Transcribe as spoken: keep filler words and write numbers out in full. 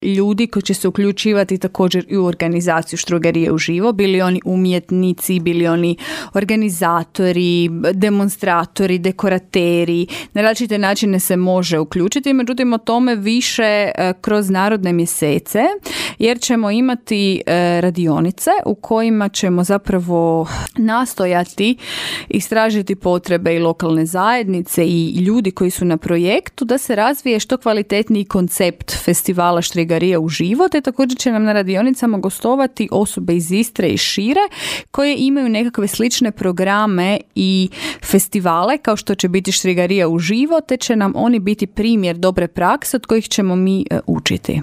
ljudi koji će se uključivati također i u organizaciju Štrogarije uživo, bili oni umjetnici, bili oni organizatori, demonstratori, dekorateri, na različite načine se može uključiti, međutim o tome više kroz narodne mjesece, jer ćemo imati radionice u kojima ćemo zapravo nastojati istražiti potrebe i lokalne zajednice i ljudi koji su na projektu da se razvije što kvalitetniji koncept festivala Štrogarija uživo, te također će nam na radionicama gostovati osobe iz Istre i šire koje imaju nekakve slične programe i festivale kao što će biti Štrogarija uživo, te će nam oni biti primjer dobre prakse od kojih ćemo mi učiti.